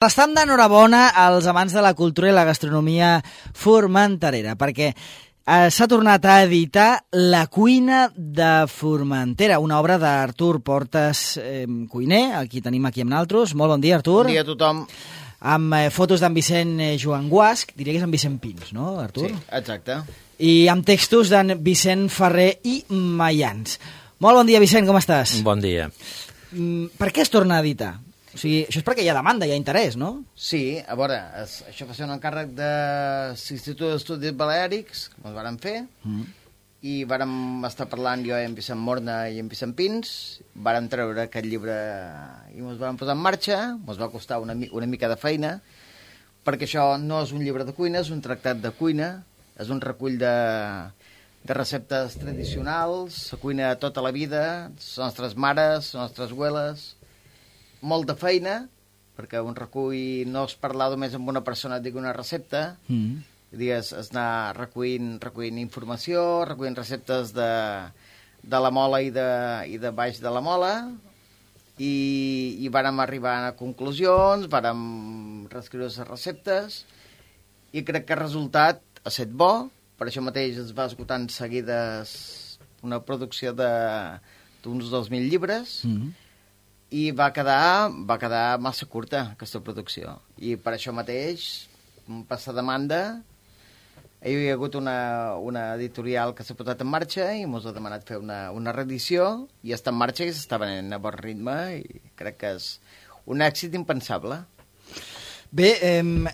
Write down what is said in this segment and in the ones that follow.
Estem d'enhorabona als amants de la cultura i la gastronomia formenterera, perquè s'ha tornat a editar La cuina de Formentera, una obra d'Artur Portas, cuiner, aquí tenim aquí amb naltros. Molt bon dia, Artur. Bon dia a tothom. Amb fotos d'en Vicent Joan Guasc, diria que és en Vicent Pins, no, Artur? Sí, exacte. I amb textos d'en Vicent Ferrer i Mayans. Molt bon dia, Vicent, com estàs? Bon dia. Per què es torna a editar? O sigui, això és perquè hi ha demanda, hi ha interès, no? Sí, a veure, això va ser un encàrrec de l'Institut d'Estudis Baleàrics, que ens vàrem fer, i vàrem estar parlant jo i en Vicent Morna i en Vicent Pins, vàrem treure aquest llibre i ens vàrem posar en marxa, ens va costar una mica de feina, perquè això no és un llibre de cuina, és un tractat de cuina, és un recull de receptes tradicionals, la cuina de tota la vida, les nostres mares, les nostres abueles, molta feina, perquè un recull no és parlar només amb una persona et digui una recepta, és anar recollint informació, recollint receptes de la mola i de baix de la mola, i vàrem arribar a conclusions, vàrem reescriure les receptes, i crec que el resultat ha estat bo, per això mateix es va esgotant seguides una producció d'uns 2.000 llibres, i va quedar massa curta aquesta producció, i per això mateix per la demanda hi ha hagut una editorial que s'ha posat en marxa i ens ha demanat fer una reedició, i està en marxa i s'està venent a bon ritme, i crec que és un èxit impensable. Bé,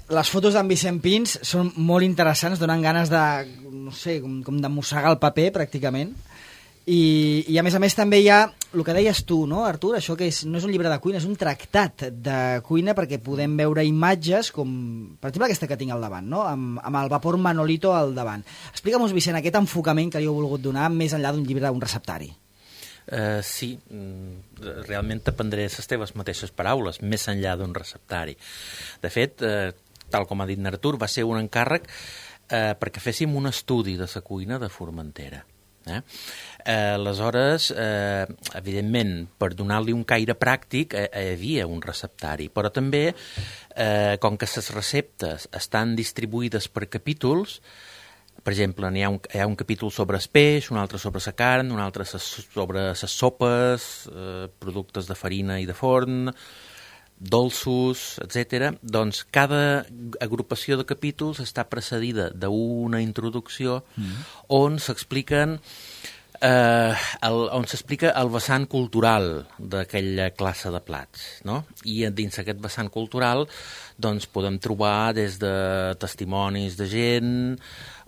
les fotos d'en Vicent Pins són molt interessants, donen ganes de, no sé, com de mossegar el paper pràcticament. I a més també hi ha el que deies tu, no, Artur? Això que no és un llibre de cuina, és un tractat de cuina, perquè podem veure imatges com, per exemple, aquesta que tinc al davant, no? Amb el vapor Manolito al davant. Explica'm-nos, Vicent, aquest enfocament que li heu volgut donar més enllà d'un llibre, d'un receptari. Sí, realment t'aprendré les teves mateixes paraules, més enllà d'un receptari. De fet, tal com ha dit Artur, va ser un encàrrec perquè féssim un estudi de la cuina de Formentera. Aleshores, evidentment, per donar-li un caire pràctic hi havia un receptari, però també, com que les receptes estan distribuïdes per capítols, per exemple, hi ha un capítol sobre el peix, un altre sobre la carn, un altre sobre les sopes, productes de farina i de forn, dolços, etc. Doncs cada agrupació de capítols està precedida d'una introducció on s'explica el vessant cultural d'aquella classe de plats, no? I dins aquest vessant cultural doncs, podem trobar des de testimonis de gent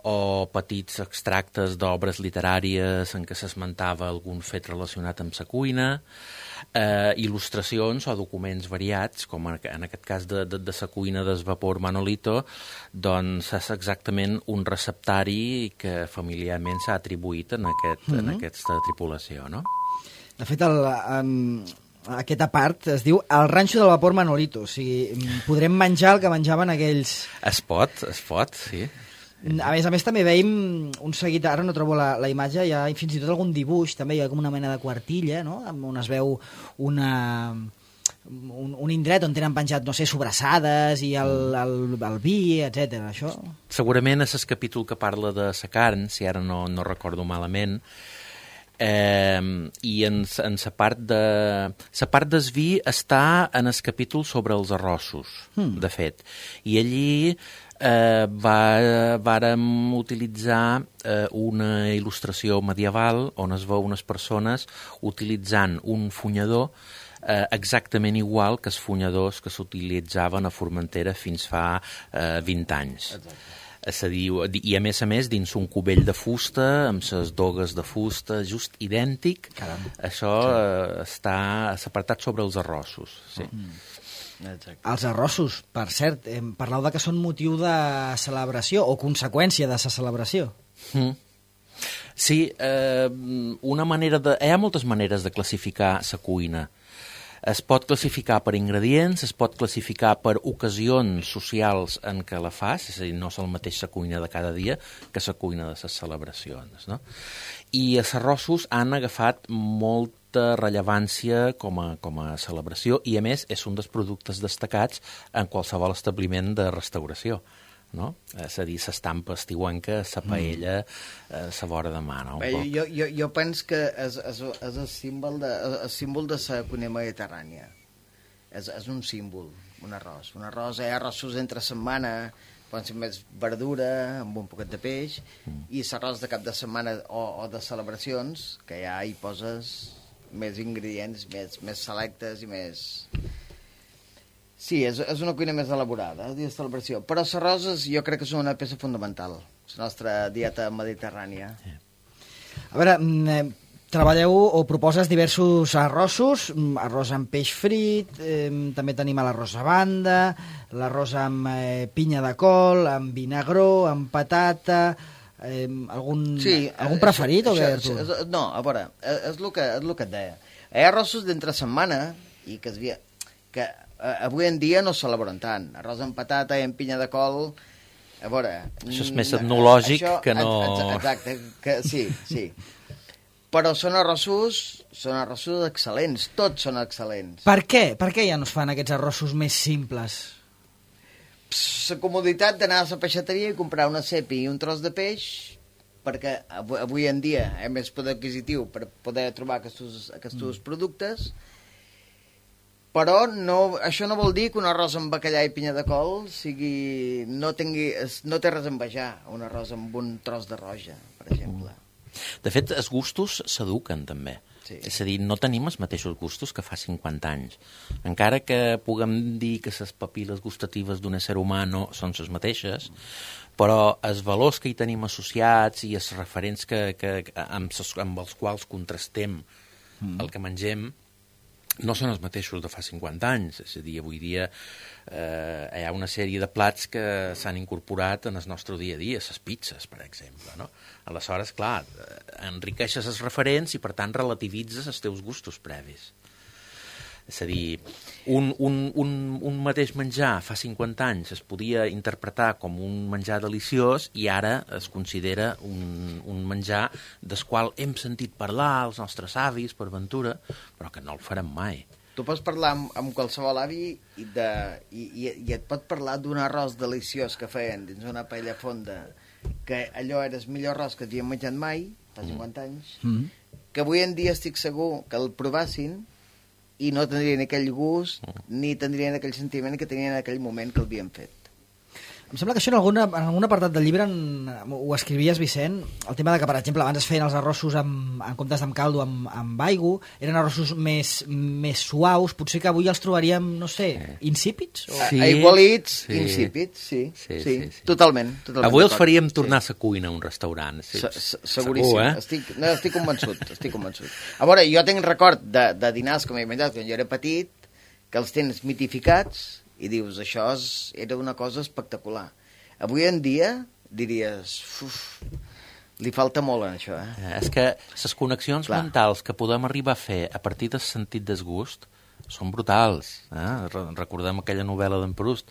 o petits extractes d'obres literàries en què s'esmentava algun fet relacionat amb la cuina, il·lustracions o documents variats, com en aquest cas de la cuina del vapor Manolito, doncs és exactament un receptari que familiarment s'ha atribuït en aquesta tripulació, no? De fet, aquesta part es diu El ranxo del vapor Manolito, o sigui, podrem menjar el que menjaven aquells... Es pot, sí. A més també veiem un seguit, ara no trobo la imatge, hi ha fins i tot algun dibuix, també hi ha com una mena de quartilla, no? On es veu un indret on tenen penjat, no sé, sobrassades i el vi, etc. Això... Segurament és el capítol que parla de la carn, si ara no recordo malament, i en la part del vi està en el capítol sobre els arrossos, de fet, i allí vàrem utilitzar una il·lustració medieval on es veu unes persones utilitzant un funyador exactament igual que els funyadors que s'utilitzaven a Formentera fins fa 20 anys. I a més dins un cubell de fusta amb les dogues de fusta just idèntic. Caram. Això està apartat sobre els arrossos, sí. Exacte. Els arrossos, per cert, parleu de que són motiu de celebració o conseqüència de la celebració. Sí, hi ha moltes maneres de classificar la cuina. Es pot classificar per ingredients, es pot classificar per ocasions socials en què la fas, és a dir, no és el mateix la cuina de cada dia que la cuina de les celebracions, no? I els arrossos han agafat molt molta rellevància com a celebració i, a més, és un dels productes destacats en qualsevol establiment de restauració. No? És a dir, s'estampa estiuenca, la paella, la vora de mà. No? Bé, jo penso que és el símbol de la cuina mediterrània. És un símbol, un arròs. Un arròs, arrossos entre setmana, poden ser més verdura, amb un poquet de peix, i l'arròs de cap de setmana o de celebracions, que ja hi poses més ingredients, més selectes i més... Sí, és una cuina més elaborada, de celebració. Però les roses jo crec que són una peça fundamental, la nostra dieta mediterrània. A veure, treballeu o proposes diversos arrossos, arròs amb peix frit, també tenim l'arròs a banda, l'arròs amb pinya de col, amb vinagró, amb patata... algun preferit o què, Artur? No, a veure, és el que et deia. Hi ha arrossos d'entre setmana i que avui en dia no s'elaboren tant. Arròs amb patata i amb pinya de col, a veure... Això és més etnològic que no... Exacte, sí. Però són arrossos excel·lents, tots són excel·lents. Per què? Per què ja no es fan aquests arrossos més simples? La comoditat d'anar a la peixateria i comprar una cepa i un tros de peix, perquè avui en dia hi ha més poder adquisitiu per poder trobar aquests productes, però això no vol dir que un arròs amb bacallà i pinya de col no té res a envejar un arròs amb un tros de roja, per exemple. De fet, els gustos s'eduquen també. Sí. És a dir, no tenim els mateixos gustos que fa 50 anys. Encara que puguem dir que les papil·les gustatives d'un ésser humà no són les mateixes, però els valors que hi tenim associats i els referents amb els quals contrastem el que mengem no són els mateixos de fa 50 anys. És a dir, avui dia hi ha una sèrie de plats que s'han incorporat en el nostre dia a dia, les pizzas, per exemple, no? Aleshores, clar, enriqueixes els referents i, per tant, relativitzes els teus gustos previs. És a dir, un mateix menjar fa 50 anys es podia interpretar com un menjar deliciós i ara es considera un menjar del qual hem sentit parlar els nostres avis, per ventura, però que no el farem mai. Tu pots parlar amb qualsevol avi i et pot parlar d'un arròs deliciós que feien dins una paella fonda, que allò era el millor arròs que havien menjat mai, fa 50 anys, que avui en dia estic segur que el provassin i no tindrien aquell gust ni tindrien aquell sentiment que tenien en aquell moment que l'havien fet. Em sembla que això en algun apartat del llibre ho escrivies, Vicent, el tema de que, per exemple, abans es feien els arrossos en comptes d'amb caldo amb aigua, eren arrossos més suaus, potser que avui els trobaríem, no sé, insípids? Sí, aigualits, insípids, sí. Totalment. Avui els faríem tornar a la cuina a un restaurant. Seguríssim. Estic convençut. A veure, jo tinc record de dinars com he menjat quan jo era petit, que els tens mitificats, i dius, això era una cosa espectacular. Avui en dia diries, li falta molt en això. És que les connexions mentals que podem arribar a fer a partir del sentit desgust són brutals. Recordem aquella novel·la d'en Proust,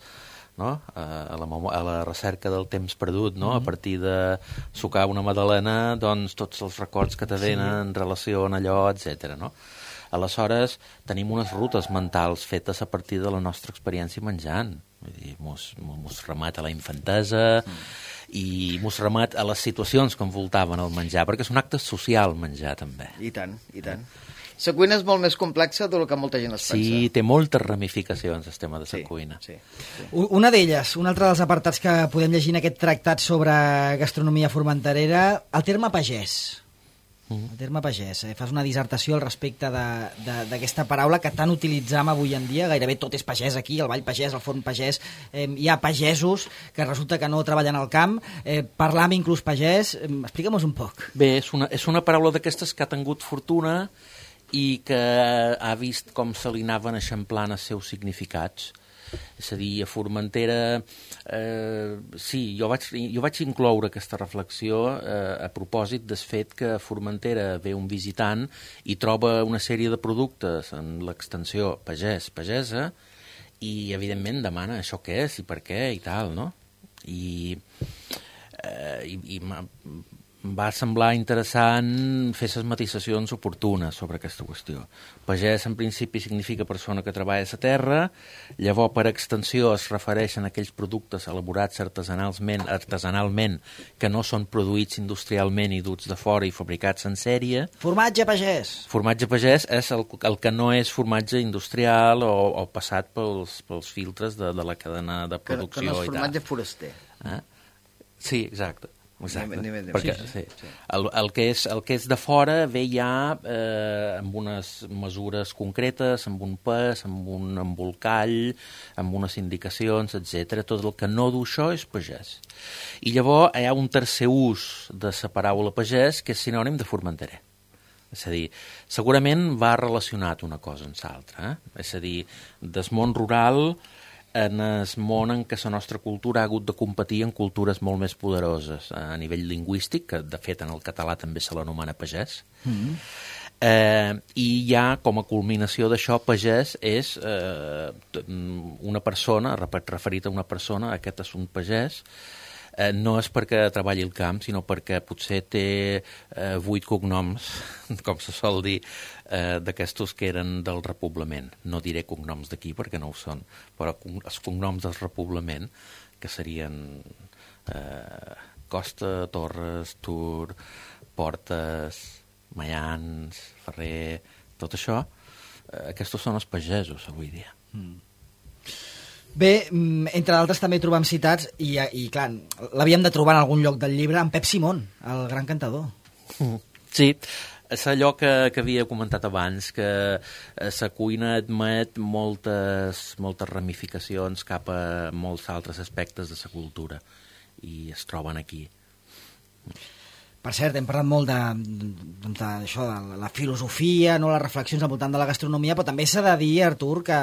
no? A la recerca del temps perdut, no? A partir de sucar una magdalena, doncs tots els records que te venen en relació a allò, etc. No? Aleshores, tenim unes rutes mentals fetes a partir de la nostra experiència menjant. Vull dir, mos remet a la infantesa i mos remet a les situacions que envoltaven el menjar, perquè és un acte social menjar, també. I tant. La cuina és molt més complexa del que molta gent es pensa. Sí, té moltes ramificacions, el tema de la cuina. Sí. Una d'elles, un altre dels apartats que podem llegir en aquest tractat sobre gastronomia formenterera, el terme pagès. El terme pagès. Fas una dissertació al respecte d'aquesta paraula que tant utilitzam avui en dia. Gairebé tot és pagès aquí, el ball pagès, el forn pagès. Hi ha pagesos que resulta que no treballen al camp. Parlam inclús pagès. Explica'm-nos un poc. Bé, és una paraula d'aquestes que ha tingut fortuna i que ha vist com se li anaven eixamplant els seus significats. És a dir, a Formentera, sí, jo vaig incloure aquesta reflexió a propòsit del fet que a Formentera ve un visitant i troba una sèrie de productes en l'extensió pagès-pagesa i, evidentment, demana això què és i per què i tal, no? I va semblar interessant fer les matisacions oportunes sobre aquesta qüestió. Pagès, en principi, significa persona que treballa a la terra, llavors, per extensió, es refereixen a aquells productes elaborats artesanalment que no són produïts industrialment i duts de fora i fabricats en sèrie. Formatge pagès. Formatge pagès és el que no és formatge industrial o passat pels filtres de la cadena de producció. Que no és formatge foraster. Sí, exacte. Perquè, sí. El que és de fora ve ja amb unes mesures concretes, amb un pes, amb un embolcall, amb unes indicacions, etc. Tot el que no du això és pagès. I llavors hi ha un tercer ús de la paraula pagès que és sinònim de formenterer. És a dir, segurament va relacionat una cosa amb l'altra. És a dir, del món rural en el món en què la nostra cultura ha hagut de competir en cultures molt més poderoses a nivell lingüístic, que de fet en el català també se l'anomena pagès. I ja com a culminació d'això, pagès és una persona, referit a una persona, aquest és un pagès, no és perquè treballi al camp, sinó perquè potser té 8 cognoms, com se sol dir, d'aquestos que eren del repoblament. No diré cognoms d'aquí perquè no ho són, però els cognoms del repoblament, que serien Costa, Torres, Tur, Portes, Mayans, Ferrer, tot això, aquests són els pagesos avui dia. Bé, entre d'altres també trobam citats, i clar, l'havíem de trobar en algun lloc del llibre, en Pep Simón, el gran cantador. Sí, és allò que havia comentat abans, que la cuina admet moltes ramificacions cap a molts altres aspectes de la cultura, i es troben aquí. Per cert, hem parlat molt d'això, de la filosofia, no, les reflexions al voltant de la gastronomia, però també s'ha de dir, Artur, que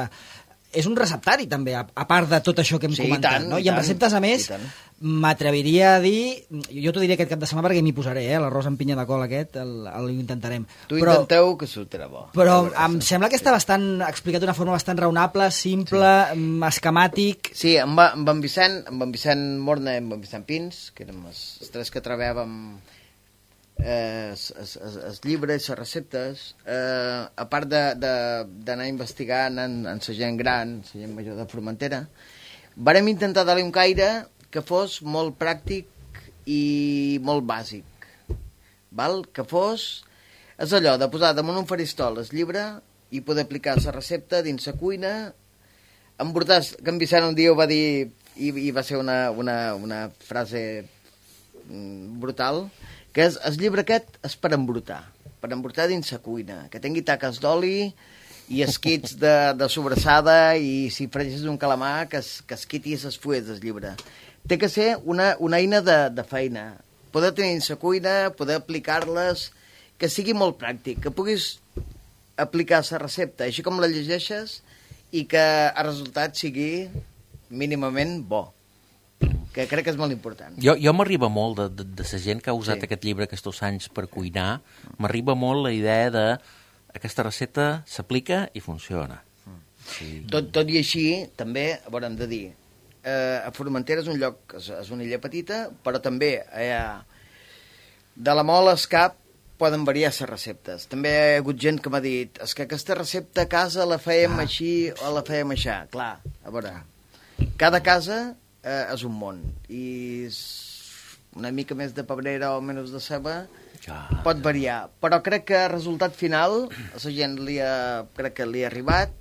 és un receptari, també, a part de tot això que hem comentat. I en receptes, a més, m'atreviria a dir... Jo t'ho diré aquest cap de setmana perquè m'hi posaré, l'arròs amb pinya de col aquest, l'intentarem. Intenteu, que sortirà bo. Però em sembla que està explicat d'una forma bastant raonable, simple, esquemàtic... Sí, amb en Vicent Morna i amb en Vicent Pins, que érem els tres que treballàvem els llibres, les receptes, a part d'anar investigant en la gent gran, la gent major de Formentera, vàrem intentar dar-li un caire que fos molt pràctic i molt bàsic, val? Que fos... És allò de posar damunt un faristol el llibre i poder aplicar la recepta dins la cuina. Embrutar, que en Vicent un dia ho va dir, i va ser una frase brutal, que és, el llibre aquest és per embrutar dins la cuina, que tingui taques d'oli i esquits de sobrassada, i si fregis un calamar, que esquiti les fulles del llibre. Té que ser una eina de feina, poder tenir dins la cuina, poder aplicar-les, que sigui molt pràctic, que puguis aplicar la recepta, així com la llegeixes, i que el resultat sigui mínimament bo, que crec que és molt important. Jo m'arriba molt de la gent que ha usat aquest llibre aquests anys per cuinar, m'arriba molt la idea de aquesta recepta s'aplica i funciona. Sí. Tot i així, també, haurem de dir, a Formentera és un lloc, és una illa petita, però també de la Mol al Cap poden variar les receptes. També hi ha hagut gent que m'ha dit, és que aquesta recepta a casa la fèiem així o la fèiem així. Clar, a veure, cada casa és un món, i una mica més de pebrera o menys de ceba pot variar, però crec que el resultat final a la gent crec que li ha arribat,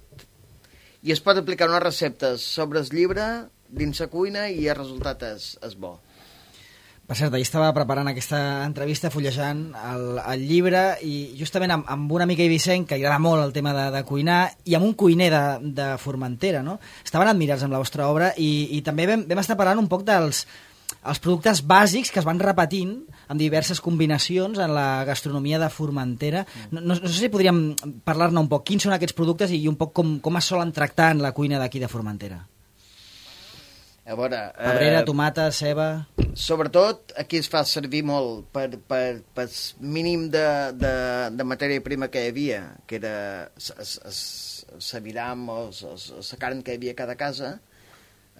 i es pot aplicar unes receptes sobre el llibre dins la cuina i el resultat és bo. Per cert, ahir estava preparant aquesta entrevista, fullejant el llibre, i justament amb una amiga i Vicent, que li agrada molt el tema de cuinar, i amb un cuiner de Formentera, no? Estaven admirats amb la vostra obra, i també vam estar parlant un poc dels productes bàsics que es van repetint amb diverses combinacions en la gastronomia de Formentera. No sé si podríem parlar-ne un poc. Quins són aquests productes i un poc com es solen tractar en la cuina d'aquí de Formentera? A veure... Pebrera, tomata, ceba... Sobretot, aquí es fa servir molt per mínim de matèria prima que hi havia, que era l'aviram o la carn que hi havia a cada casa.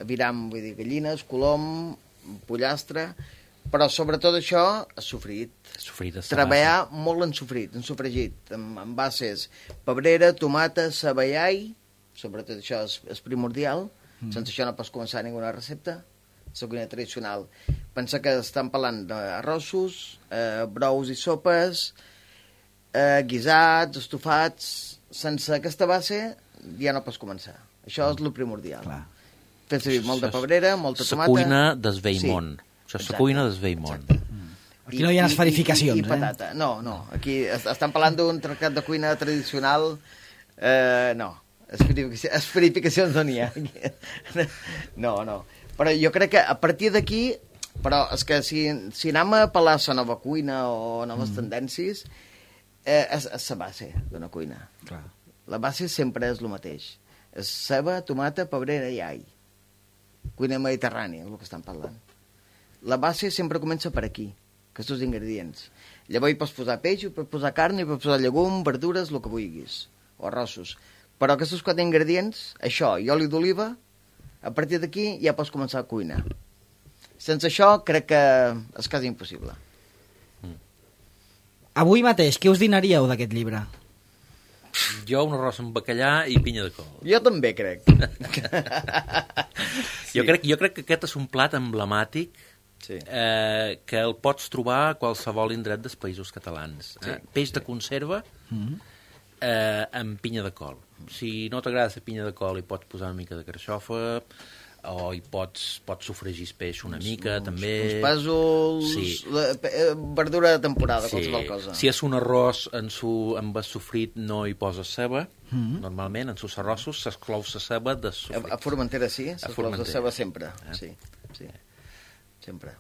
Aviram, vull dir, gallines, colom, pollastre, Però sobretot això, sofrit. Sofrit, Treballar molt en sofregit, amb bases pebrera, tomata, ceba i all, sobretot això és primordial, sense això no pots començar ninguna recepta, és la cuina tradicional. Pensa que estan parlant d'arrossos, brous i sopes, guisats, estofats, sense aquesta base ja no pots començar. Això és el primordial. Clar. Fes servir molta pebrera, molta tomata... La cuina desveïmont. Això és la cuina desveïmont. Aquí no hi ha esferificacions, I patata. No. Aquí estan parlant d'un tractat de cuina tradicional. No. Esferificacions no n'hi ha. No. Però jo crec que a partir d'aquí... Però és que si anem a apel·lar a la nova cuina o noves tendències, és la base d'una cuina. Clar. La base sempre és el mateix. És ceba, tomata, pebrera i all. Cuina mediterrània, el que estan parlant. La base sempre comença per aquí, aquests ingredients. Llavors hi pots posar peix, hi pots posar carn, hi pots posar llegum, verdures, el que vulguis, o arrossos. Però aquests 4 ingredients, això i oli d'oliva, a partir d'aquí ja pots començar a cuinar. Sense això crec que és quasi impossible. Avui mateix, què us dinaríeu d'aquest llibre? Jo un arròs amb bacallà i pinya de col. Jo també crec. Sí. Jo crec que aquest és un plat emblemàtic Sí. que el pots trobar a qualsevol indret dels països catalans. Sí. Peix de conserva amb pinya de col. Si no t'agrada la pinya de col, hi pots posar una mica de carxofa, o hi pots sofregir el peix una mica, també. Uns pèsols, Sí. Verdura de temporada, qualsevol cosa. Si és un arròs amb el sofrit no hi poses ceba, normalment, en els arrossos s'exclou la ceba de sofrit. A Formentera sí, s'exclou de ceba sempre. Sí. Sempre.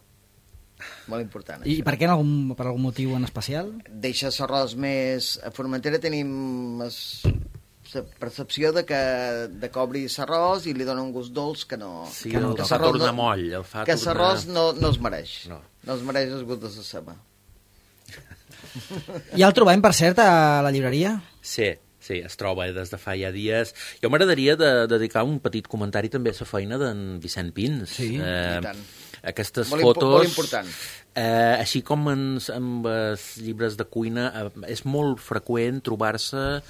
Molt important. I això. per què, per algun motiu en especial? Deixa l'arròs més... A Formentera tenim la percepció de que obri l'arròs i li dona un gust dolç que no... Sí, que el fa tornar moll. Que l'arròs no es mereix. No es mereix el gust de la ceba. Ja el trobem, per cert, a la llibreria? Sí, es troba des de fa ja dies. Jo m'agradaria dedicar un petit comentari també a la feina d'en Vicent Pins. Sí, i tant. Aquestes Molt fotos... important. Així com amb els llibres de cuina, és molt freqüent trobar-se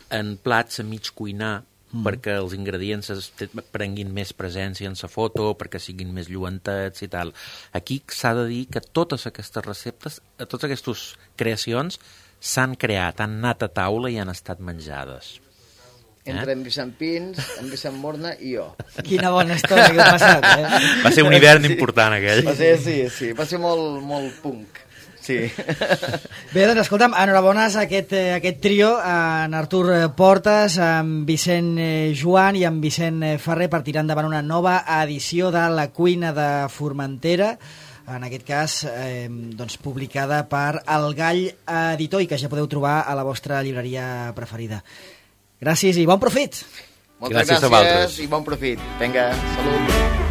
en plats a mig cuinar, perquè els ingredients prenguin més presència en la foto, perquè siguin més lluentats i tal. Aquí s'ha de dir que totes aquestes receptes, totes aquestes creacions, s'han creat, han anat a taula i han estat menjades. Entre en Vicent Pins, en Vicent Morna i jo. Quina bona història que heu passat, Va ser un hivern important, aquell. Sí. Va ser molt punk. Sí. Bé, doncs escolta'm, enhorabones a aquest trio, en Artur Portes, en Vicent Joan i en Vicent Ferrer, per tirar endavant una nova edició de La cuina de Formentera, en aquest cas doncs, publicada per El Gall Editor i que ja podeu trobar a la vostra llibreria preferida. Gràcies i bon profit! Moltes gràcies i bon profit. Vinga, salut!